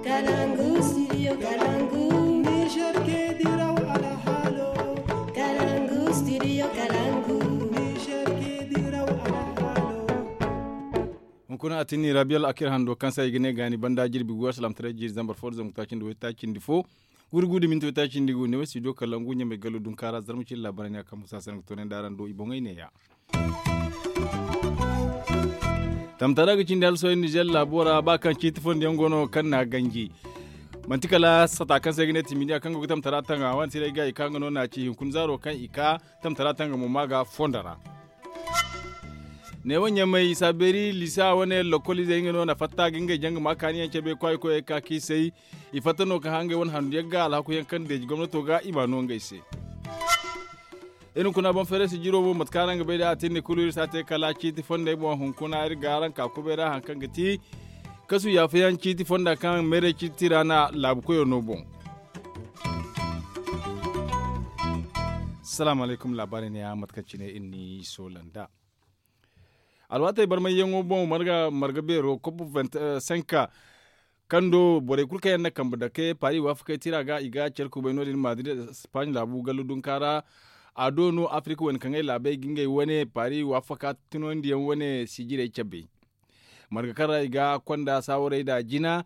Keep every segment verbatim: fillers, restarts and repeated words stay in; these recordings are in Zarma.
Kalangu, studio Kalangu. Niger ke diraw alhalo. Kalangu, studio Kalangu. Niger ke diraw alhalo. Hunkuna a tinni Rabiya Al'akir hando kaŋ se ay ga ne gaani banda jirbi gu, alsilaamataray jiiri zambar fo da zangu taaci nda way taaci nda fo. Gurgu da minti way taaci nda gu ne way studio Kalangu ɲamay gallo dunkaara zarma cine laabaray ne a kaŋ musa se nga toonay nda araŋ do i boŋey neeya. Tamtara ga cindi hala sohõ Nizer laabo ra ba kaŋ ciiti fondo yaŋ go no kaŋ n'a ganji. Manti kala sata kaŋ se ay ga ne timidiya kaŋ go ga tamtara tanga wane tiray ga i ka nga no n'a ci hinkuna zaaro kaŋ i ka tamtara tanga mo ma ga fondo ra. Neewo ɲamay isa beeri lisa wane lokol izey nga no na fatta ga ngey janga ma kaani yaŋ cabe kwaayi koyey ka kiisay. I fatta no ka hangay wane handu yaŋ ga alhaku yaŋ kaŋ deeji gomnato ga i ma no ngey se. Iri kuna boŋ feere si jiro mo mate kaŋ araŋ ga bay da a tinni kulu iri si a te kala ciiti fondey boŋ hunkuna iri ga araŋ ka kubay ra haŋ kaŋ ga ti kasu yaafayaŋ ciiti fonda kaŋ meeray ciiti ra na laabu koyo no boŋ. Salaamu alaykum laabaari ne ya mate kaŋ cine iri ni soola nda alwaatey barmayyaŋo boŋ marga beero kop senka kaŋ do borey kulu kaŋ yaŋ na kambe dake paari waafakey tira ga i ga care kubay no- din madrid espaaɲ laabu gallu dunka ra. A do no afirika wane kaŋ ay laabey ga ngey wane paari waafaka tunandiyaŋ wane sijirey cabe marga kaŋ ra i ga konda saawarey da jina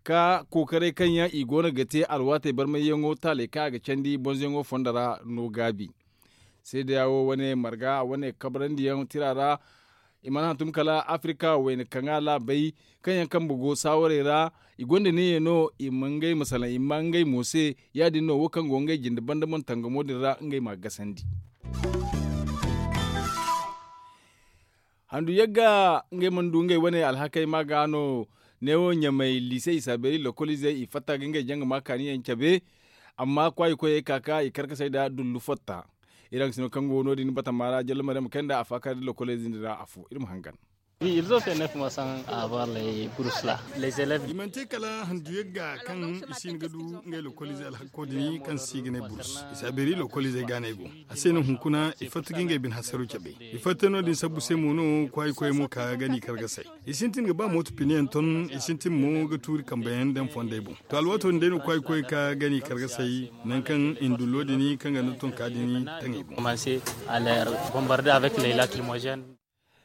ka kookaray kaŋ yaŋ i go no ga te alwaatey barmayyaŋo taaley kaŋ a ga candi bonzoyaŋo fondo ra no gaabi. Seedeya wo wane marga wane kabrandi yaŋ tira ra. I mana hantum kala afirika wayna kaŋ a laabay kaŋ yaŋ kambe go saawarey ra. I gonda neeya no i ma ngey ma salaŋ i ma ngey mo se. Ya- din no wo kaŋ go ngey jinde banda mana tangamo din ra ngey ma a gasandi. Handu yagga ngey mana du ngey wane alhakey ma ga no. Neewo ɲamay liise isa beeri lokoliizey i fatta ga ngey janga ma kaani yaŋ cabe. Amma kwaayi koyey ka ka i karkasey nda dullu fatta. Iri haŋ sino kaŋ go no- din batama ra jalla maryam kay nda a faakar da lokoliizey din ra afo iri ma hangan. I mana te kala handu yagga kaŋ i si hin ga du ngey lokoliizey alhakko din kaŋ si ga ne burus. Isa beeri lokoliizey ga no ay go. A se no hunkuna i fatta ga ngey bine hasaro cabe. I fatta no- din sabbu se mo no kwaayi koyey mo ka ga ni karkasey. I sintin ga ba mooto pine yaŋ ton i sintin mo ga tuuri kambe yaŋ daŋ fondey boŋ. To alwaato din day no kwaayi koyey ka ga ni karkasey. Nangu kaŋ i na dullo din kaŋ ga ni tonka din taŋ i boŋ.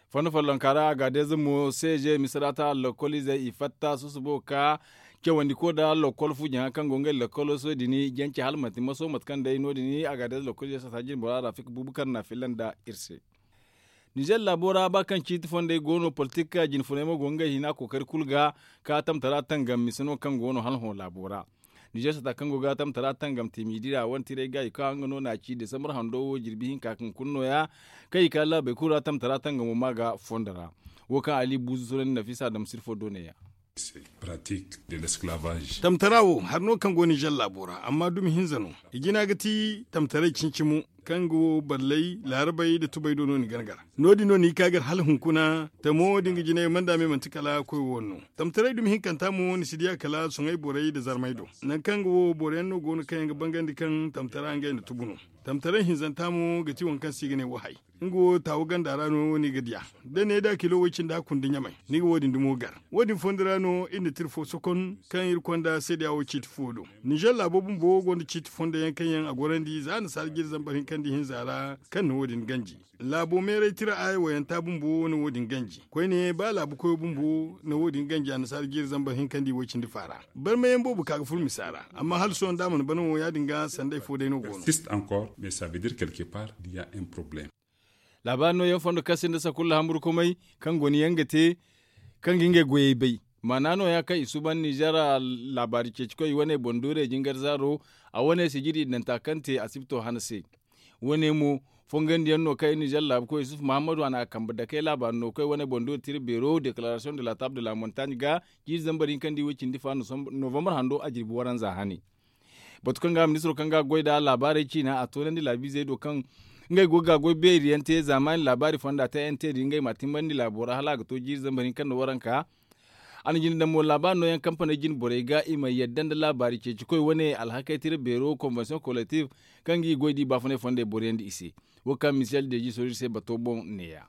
Fondo follonka ra agadeeze mo seeze misirata lokoliizey i fatta susubo ka cawandi ko nda lokol fu jaŋa kaŋ go ngey lokolo soy din jance hala manti maso mate kaŋ day no- din agadeeze lokoliizey sata jinbora rafik bubukar na filla nda iri se. Nizer laabo ra ba kaŋ ciiti fondey go no politik jine funey mo go ngey hina kookari kulu ga ka tamtara tangam mise no kaŋ go no hala hõ laabo ra. Nizer sata kaŋ go ga tamtara tangam te miidi ra wane tiray ga i kaŋ nga no na ci desambar hando wo jirbi hinka kaŋ kulu no- ya kaŋ i ka laabey kulu ra tamtara tangamo ma ga fondo ra. Wo kaŋ ali buuzu sunandi nafisa dam sirfo do ne- ya. Tamtara wo hari no kaŋ go nizer laabo ra amma dumi hinza no. I jina ga ti tamtaray cincimo kaŋ ga wo ballay laarabey nda tubey do no ni gana gar. No- din no ni ga ka gar hala hunkuna tamo da nga jinay manda me manti kala koy wo no. Tamtaray dumi hinkanta mo ni si diya kala soŋay borey nda zarmay do. Nangu kaŋ ga wo boro yaŋ no go no kaŋ yaŋ ga bangandi kaŋ tamtara ngey nda tubu no. Tamtaray hinzanta mo ga ti waŋ kaŋ se i ga ne wahay. Nga wo taawu ganda ra no ni ga diya. Da ne da kilo way cindi hakku nda ɲamay ni ga wo- din dumo gar. Wo- din fondo ra no iri na tira fo sokon kaŋ iri konda seedeya wo ciiti fo do. Nizer laabo bumbo gonda ciiti fondo yaŋ kaŋ yaŋ a gorandi za annasaara jiiri zambar hinka nda ihinza ra kaŋ na wo- din ganji. Laabo meeray tira aaya wayanta bumbo na wo- din ganji koyne ba laabu koyo bumbo na wo- din ganji annasaara jiiri zambar hinka nda iway cindi faara. Barmayaŋ boobo ka ga furo misa ra amma hala sohõ da a mana bana wo ya- din ga sanday fo day no go no. Laabaari nooyaŋ fondo kaŋ sinda sakulla hamburkumay kaŋ goni yaŋ ga te kaŋ ga ngey goyey bay. Maana nooya kaŋ i suuban nizer laabaari ceecikoy wane boŋ doorey jingar zaaro a wane sijiri idanta kaŋ te asibto hana se. Wane mo fongandiyaŋ no kaŋ nizer laabukoy yusuf mahammadu a na a kambe dakey laabaari no koy wane boŋ doori tira beero deklaarasiyoŋ de la taaba de la montagne ga jiiri zambar hinka nda iway cindi fa novambar hando a jirbi waranza hane. Batu kaŋ ga ministiro kaŋ ga goy nda laabaarey ciina a toonandi laabiizey do kaŋ ngey go ga goy beeriyaŋ te zaamaani laabaari fonda te n te din ngey ma timbandi laabo ra hala a ga to jiiri zambar hinka nda waranka. A na jine daŋ mo laabaari nooyaŋ kampaney jine borey ga i ma yadda nda laabaari ceecikoy wane alhakey tira beero konvensiyoŋ kolektif kaŋ ga i goy da i baafunay fondey boroyaŋ nda i se. Wo kaŋ misiyal deeji sooj iri se bato boŋ neeya.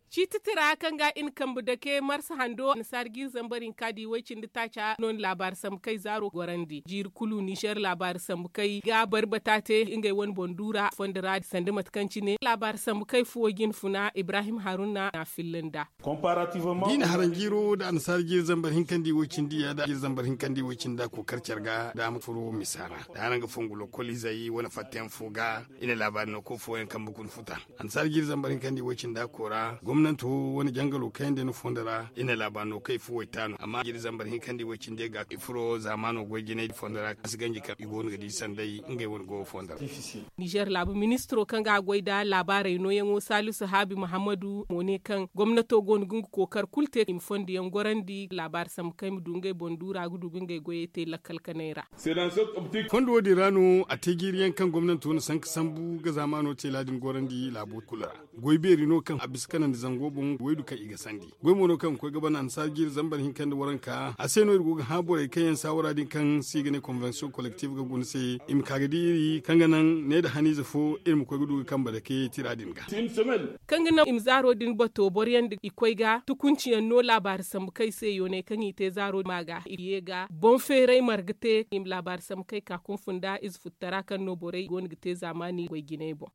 Ciiti tira kaŋ ga i na kambe dake marsa hando annasaara jiiri zambar hinka di way-cindi taaca no na laabaari sambu kay zaaro gorandi jiiri kulu nizer laabaari sambu kay ga barbata te ngey wane boŋ duura fondo ra sanda mate kaŋ cine laabaari sambu kay fuwo jine funa ibrahim haruna na a filla nd'a. Da i na haraŋ jiiro nda annasaara jiiri zambar hinkandi way-cindi ya da jiiri zambar hinkandi way-cindi da kookar care ga daama furo misa ra da haraŋ ga fongu lokol izey wane fattayaŋ fo ga i na laabaari no koy fooyaŋ kambe kuna futa. Annasaara jiiri zambar hinkandi way-cindi da koora gomnanto wane jangalo kayandi no fondo ra i na laabaari no kay fo way taano amma jiiri zambar hinkandi way-cindi ga i furo zaamaano goy jinay fondo ra a si ganji kaŋ i go no ga di sanday ngey wane goyo fondo ra. Nizer laabu ministiro kaŋ ga a goy nda laabaarey nooyaŋo salisu haabi muhammadu mo ne kaŋ gomnato go no ga nga kookar kulu te i ma fondo yaŋ gorandi laabaari sambu kaŋ i ma du ngey boŋ duura ga du ga ngey goyey te lakkal kanay ra. Fondo wo- din ra no a te jiiri yaŋ kaŋ gomnanto na sanka sambu ga zaamaano teela din gorandi laabo kulu ra. Goy beeri no kaŋ a bisa kanandi zango boŋ waydu kaŋ i ga sandi goy mo no kaŋ ga koy ga ban annasaara jiiri zambar hinka nda waranka a se no iri go ga hã borey kaŋ yaŋ saawara din kaŋ se i ga ne konvensiyoŋ kolektif ga guna se i ma ka ga di iri kaŋ ga naŋ ne nda haniize fo iri ma koy ga du ga kambe dake tira din ga. Kaŋ ga naŋ i ma zaaro din bato boro yaŋ da i koy ga tukunci yaŋ no laabaari sambu kaŋ i se yoonay kaŋ i te zaaro ma ga i ye ga boŋ feeray marga te i ma laabaari sambu kaŋ i ka kunfun nda ize futtara kaŋ no borey go no ga te zaamaani goy jinay boŋ.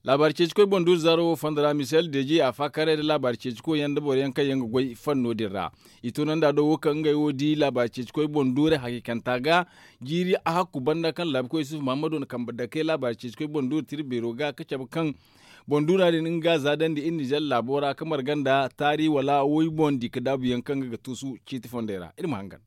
Laabaari ceeci koy boŋ duuri zaaro wo fondo ra misel deeji a faakare nda laabaari ceeci koy yaŋ nda boro yaŋ kaŋ yaŋ ga goy fanno din ra. I toonandi a do wo kaŋ ngey wo di laabaari ceeci koy boŋ duuri hakiikanta ga jiiri a hakku banda kaŋ laabu koy yusuf muhammado na kambe dake laabaari ceeci koy boŋ duuri tira beero ga ka cabe kaŋ boŋ duura din nga za dandi iri nizer laabo ra ka marga nda taari wala woy boŋ di ka daabu yaŋ kaŋ ga ga tuusu ciiti fondey ra iri ma hangan.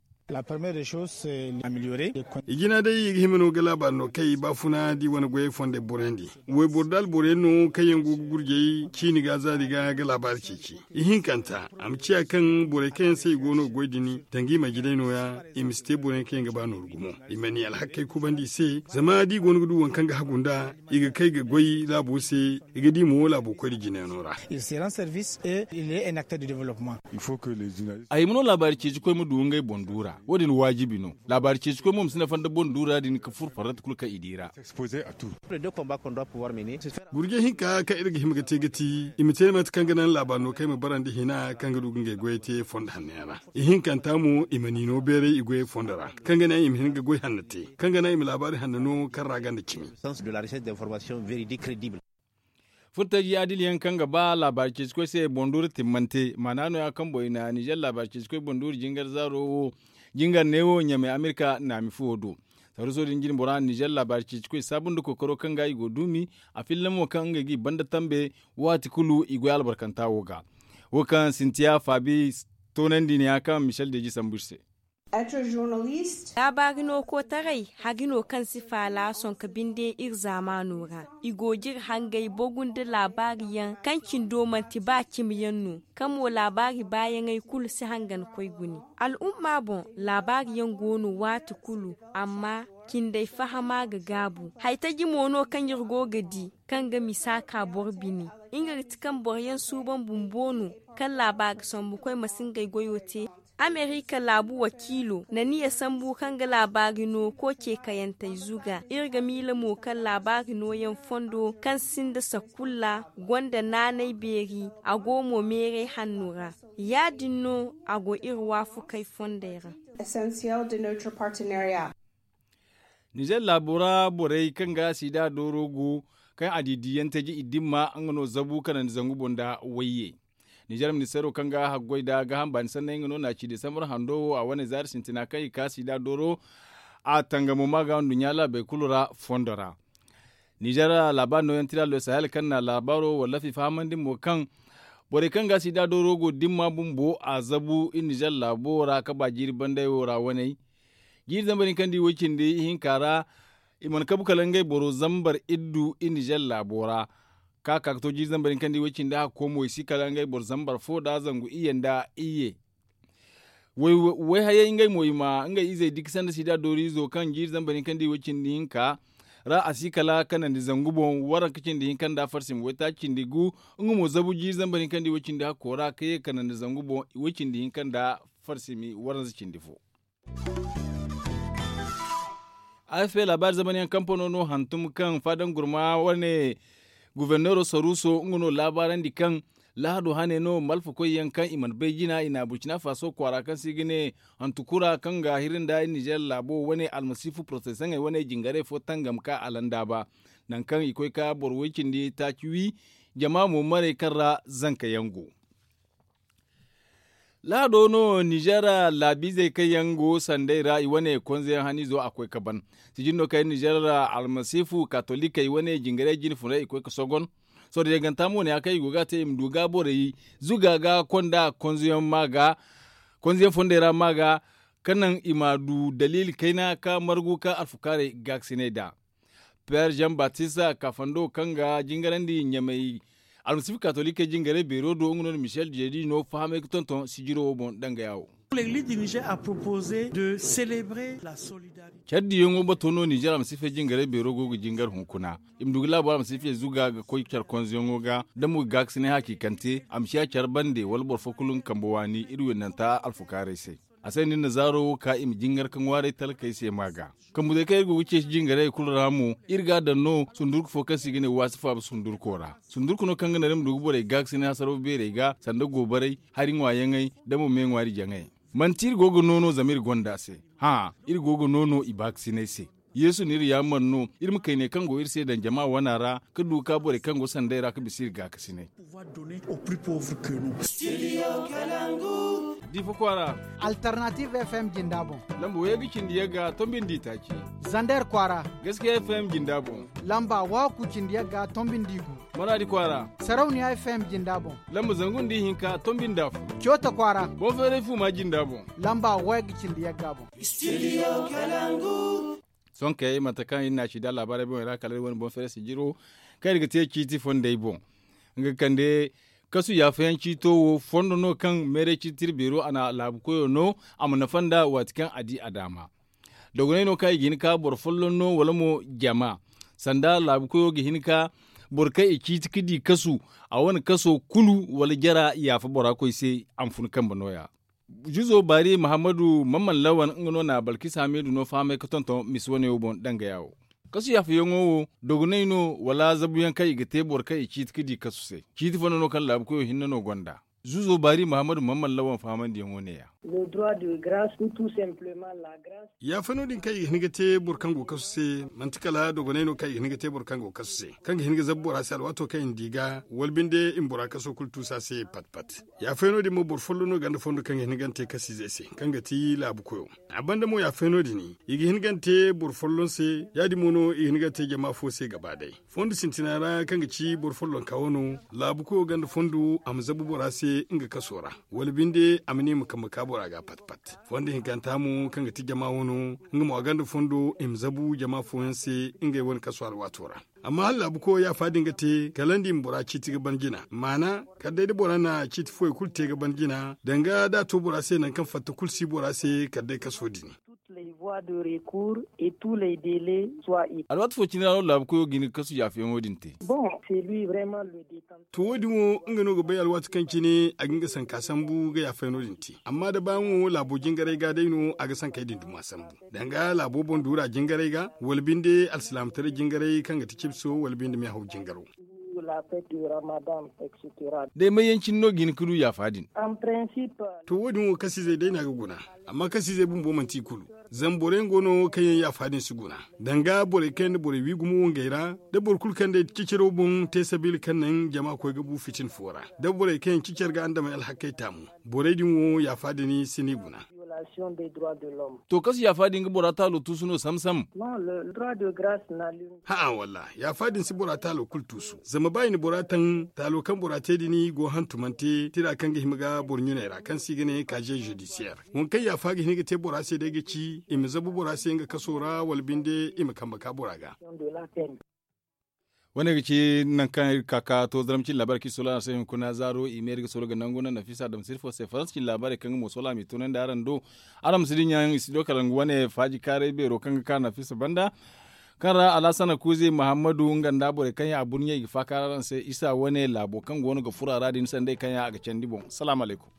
I jina day i ga hima no ga laabaari no kaŋ i baafuna da i wane goyey fondey borandi wayboro da alboro yaŋ no kaŋ yaŋ go ga gurjey ciini ga zaari ga ga laabaari ceeci. Ihinkanta a ma ciya kaŋ borey kaŋ yaŋ se i go no ga goy din danga i ma jinay no- ya i ma si te boro yaŋ kaŋ yaŋ ga ba nooru gumo. I ma ni alhakkey kubandi i se zama da i go no ga du waŋ kaŋ ga hagu nd'a i ga kay ga goy laabo se. I ga di mo laabo koy da jinayano ra. A hima no laabaari ceeci koy ma du ngey boŋ duura wo- din waajibi no. Laabaari ceeci koy mo ma si nafa nda boŋ duura din ga furo farrata kulu kaŋ i di ra. Gurje hinka kaŋ iri ga hima ga te ga ti i ma te mate kaŋ ga naŋ laabaari no kaŋ i ma bara nda hina kaŋ ga du ga ngey goyey te fondo hanno yaŋ ra. Ihinkanta mo i ma ni no beeray i goyey fondo ra kaŋ ga naŋ i ma hin ga goy hanno te kaŋ ga naŋ i ma laabaari hanno no kaŋ ra ganda cimi. Furtaji adil yaŋ kaŋ ga ba laabaari ceeci koy se boŋ duuri timmante maana no- ya kaŋ boŋ i na nizer laabaari ceeci koy boŋ duuri jingar zaaro wo jingar neewo ɲamay amerika naami fuwo do. Sarruso din jine bora nizer laabaari ceeci koy saabu nda kookaro kaŋ ga i go duumi a filla mo kaŋ ngey ga i banda tambe waati kulu i goy albarkanta wo ga. Wo kaŋ sintiya faabi toonandi ne- ya kaŋ michel deeji sambu iri se. Laabaari no kootaray hari no kaŋ si faala sonka binde iri zaamaano ra. I go ga iri hangay bogu nda laabaari yaŋ kaŋ cindo manti ba cimi yaŋ no kaŋ mo laabaari baayaŋey kulu si hangan koy gune. Al'umma boŋ laabaari yaŋ go no waati kulu amma cindey fahama ga gaabu. Haytaji mo no kaŋ iri go ga di kaŋ ga misa ka boro bine. Nga ga ti kaŋ boro yaŋ suuban bumbo no kaŋ laabaari sambu koy ma si ngey goyo te. Amerika laabu wakiilo na niya sambu kaŋ ga laabaari no kooce kayantey zuga iri ga miila mo kaŋ laabaari nooyaŋ fondo kaŋ sinda sakulla gonda naanay beeri a go mo meeray hanno ra. Ya- din no a go iri waafakey fondey ra. Nizer laabo ra borey kaŋ ga sida dooro go kaŋ a di diiyaŋ taji i dimma nga no zabu kanandi zangu boŋ nda wayye. Nizer ministeero kaŋ ga haggoy nda gaaham baani sanney nga no na ci desambar hando wo a wane zaari sintina kaŋ i ka sida dooro a tangamo ma ga nduɲɲa laabey kulu ra fondo ra. Nizer laabaa nooyaŋ tira lo sahel kaŋ na laabaaro wallafi fahamandi mo kaŋ borey kaŋ ga sida dooro go dimma bumbo a zabu i nizer laabo ra ka ba jiiri bandey wo ra waney. Jiiri zambar hinka nda i way cindi ihinka ra i mana kabu kala ngey boro zambar iddu i nizer laabo ra. Ka ka ga to jiiri zambar hinka nda i way cindi hakko mo i si kala ngey boro zambar fo nda zangu iyye nda iyye. Way hayey ngey mo i ma ngey izey diki sanda sida dooriizo kaŋ jiiri zambar hinka nda i way cindi hinka ra a si kala kanandi zangu boŋ waranka cindi hinka nda farsimi waytaaci cindi gu. Nga mo zabu jiiri zambar hinka nda i way cindi hakko ra ka ye kanandi zangu boŋ i way cindi hinka nda farsimi waranza cindi fo. Afp laabaari zamani yaŋ kampano no hantum kaŋ faadangurma wane guverneero saruuso nga no laabaarandi kaŋ Lahado hane no malfakoy yaŋ kaŋ i mana bay jina i na burcina faso kwaara kaŋ se i ga ne hantukura kaŋ ga hiri nda nizer laabo wane almasiifu porotestaŋey wane jingaray fo tangam ka a landaaba, nangu kaŋ i koy ka boro way cindi taaci wi jama mo maray kaŋ ra zanka yaŋ go. Lahado no nizer laabiizey kaŋ yaŋ go sanday ra i wane konzeyaŋ haniizo a koy ka ban. Sijin no kaŋ nizer almasiifu katolikey wane jingaray jine funay i koy ka sogon. Sohõ da yaganta mo ne ya kaŋ i go ga a te i ma du ga borey zuga ga konda konzeyaŋ ma ga konzeyaŋ fondey ra ma ga ka naŋ i ma du daliili kayna ka margu ka alfukaarey gaakasinay nd'a. Peer jean batista kafando kaŋ ga jingarandi ɲamay almasiifu katolikey jingaray beero do nga no na michel jedi no fahamay ga tonton sijiro wo boŋ dangaya wo. Care diyaŋo bato no nizer almasiifey jingaray beero go ga jingar hunkuna i ma du ga laabo almasiifey zuga ga koy care konzoyaŋo ga da mo ga gaakasinay hakiikante a ma ciya care bande wala boro fo kulu nga kambe waani iri windanta alfukaarey se. A se no iri na zaaro wo ka i ma jingar ka ŋwaaray talkey se ma ga. Kambe day kaŋ iri go ga ceeci jingarey kulu ra mo iri ga a daŋ no sundurku fo kaŋ se i ga ne waasi faaba sundurko ra. Sundurku no kaŋ ga naŋ iri ma du ga borey gaakasinay hasaraw beerey ga sanda goobaray hari ŋwaayaŋey da mo me ŋwaari jaŋey. Manti iri go ga noono zama iri gonda se. Hã, iri go ga noono i baakasinay se. Yeesu na iri yaamar no iri ma kayney kaŋ go iri se daŋ jama wana ra ka du ga ka borey kaŋ go sanday ra ka bisa iri gaakasinay. Difa kwaara. Alternative f m jinda boŋ. Lamba way ga cindi yagga tombi nda itaaci. Zander kwaara. Gaskiya f m jinda boŋ. Lamba waku cindi yagga tombi nda igu. Maradi kwaara. Sarauniya f m jinda boŋ. Lamba zangu nda ihinka tombi nda afo. Coota kwaara. Boŋ feeray fuuma jinda boŋ. Lamba way ga cindi yagga boŋ. Sohõ kay mate kaŋ iri na a ci da laabaarey boŋey ra kala iri wane boŋ feere sijiro kaŋ iri ga te ciiti fondey boŋ. Nga ga kande kasu yaafayaŋ ciito wo fondo no kaŋ meeray ciiti tira beero a na laabu koyo no. A ma nafa nda waati kaŋ a di a daama dogonay no kaŋ i ga hin ka boro folloŋ no wala mo jama sanda laabu koyo ga hin ka boro kaŋ i ciiti ga di kasu a wane kaso kulu wala jara yaafa bora koy se. A ma fun kambe nooya. Juzo baari mahammadu mamman lawan nga no na balkis hamidu no fahamay ga tonton misi wane wo boŋ dangaya wo. Kasu yaafayaŋo wo dogonay no wala zabuyaŋ kaŋ i ga te boro kaŋ i ciiti ga di kasu se? Ciiti fondo no kaŋ laabu koyo hinne no gonda. Zuzo baari mahammadu mamman lawan fahamandiyaŋo ne- ya. Yaafa no- din kaŋ i ga hin ga te boro kaŋ go kasu se manti kala dogonay no kaŋ i ga hin ga te boro kaŋ go kasu se kaŋ ga hin ga zabu bora se alwaato kaŋ i na di ga wala binde i ma bora kaso kulu tuusa se pat pat. Yaafa no- din mo boro folloŋ no ganda fondo kaŋ ga hin ga te kasiizey se kaŋ ga ti laabu koyo. A banda mo yaafa no- din i ga hin ga te boro folloŋ se ya- din mo no i ga hin ga te jama fo se gaba day. Fondo sintina ra kaŋ ga ci boro follonka wano laabu koyo ganda fondo a ma zabu bora se nga kaso ra wala binde a ma ne i ma kambe ka bora ga pat pat. Fondo hinkanta mo kaŋ ga ti jama wano nga mo a ganda fondo i ma zabu jama fooyaŋ se ngey wane kaso alwaato ra. Amma hala laabu koyo yaafa din ga te kala nda i ma bora ciiti ga ban jina maana kala day da bora na ciiti fooyaŋ kulu te ga ban jina danga da a to bora se nangu kaŋ fatta kulu si bora se kala day kaso din. Alwaati fo cine ra no laabu koyo ga hin ga kasu yaafayaŋo din te. To wo- din wo nga no ga bay alwaati kaŋ cine a ga hin ga sanka sambu ga yaafayaŋo din te amma da ba nga wo laabo jingaray ga day no a ga sankey din duma sambu. Danga laabo boŋ duura jingaray ga wala binde alsilaamataray jingaray kaŋ ga ti cibso wala binde meehaw jingaro. Day may yaŋ cine no ga hin ga du yaafa din? To wo- din wo kasiizey day no a ga guna. Amma kasiizey bumbo manti i kulu. Zama borey yaŋ go no kaŋ yaŋ yaafa din si guna danga borey kaŋ yaŋ na borey wi gumo wangey ra da boro kulu kaŋ day ciciro boŋ te sabiila kaŋ naŋ jama koy ga bu fitina fo ra da borey kaŋ yaŋ cicar ga andamey alhakkey taamu. Borey din wo yaafa din si no i guna. To kasu yaafa din ga bora taalo tuusu no sam sam? Ha'a wallaahi yaafa din si bora taalo kulu tuusu zama ba i na bora taŋ taalo kaŋ bora te din go hantumante tira kaŋ ga hima ga boro ɲuney ra kaŋ se i ga ne kaaze zudisiyeer. Waŋ kaŋ yaafa ga hin ga te bora se day ga ci i ma zabu bora se nga kaso ra wala binde i ma kambe ka bora ga. Wane ga ci nangu kaŋ iri ga ka ka to zaramci laabaari kaŋ iri soola araŋ se hunkuna zaaro i ma iri ga soola ga nangu naŋ nafisa adama sirfo se faransa cine laabaarey kaŋ nga mo soola a m'i tunandi araŋ do. Araŋ ma si dinya yaŋ i si do kala nga wane faaji kaaray beero kaŋ ga ka nafisa banda kaŋ ra alhasana kuuze muhammadu nga nda borey kaŋ yaŋ a burɲey ga faakaara araŋ se isa wane laabo kaŋ go no ga furo a ra din sanday kaŋ yaŋ a ga candi boŋ salaamu alaykum.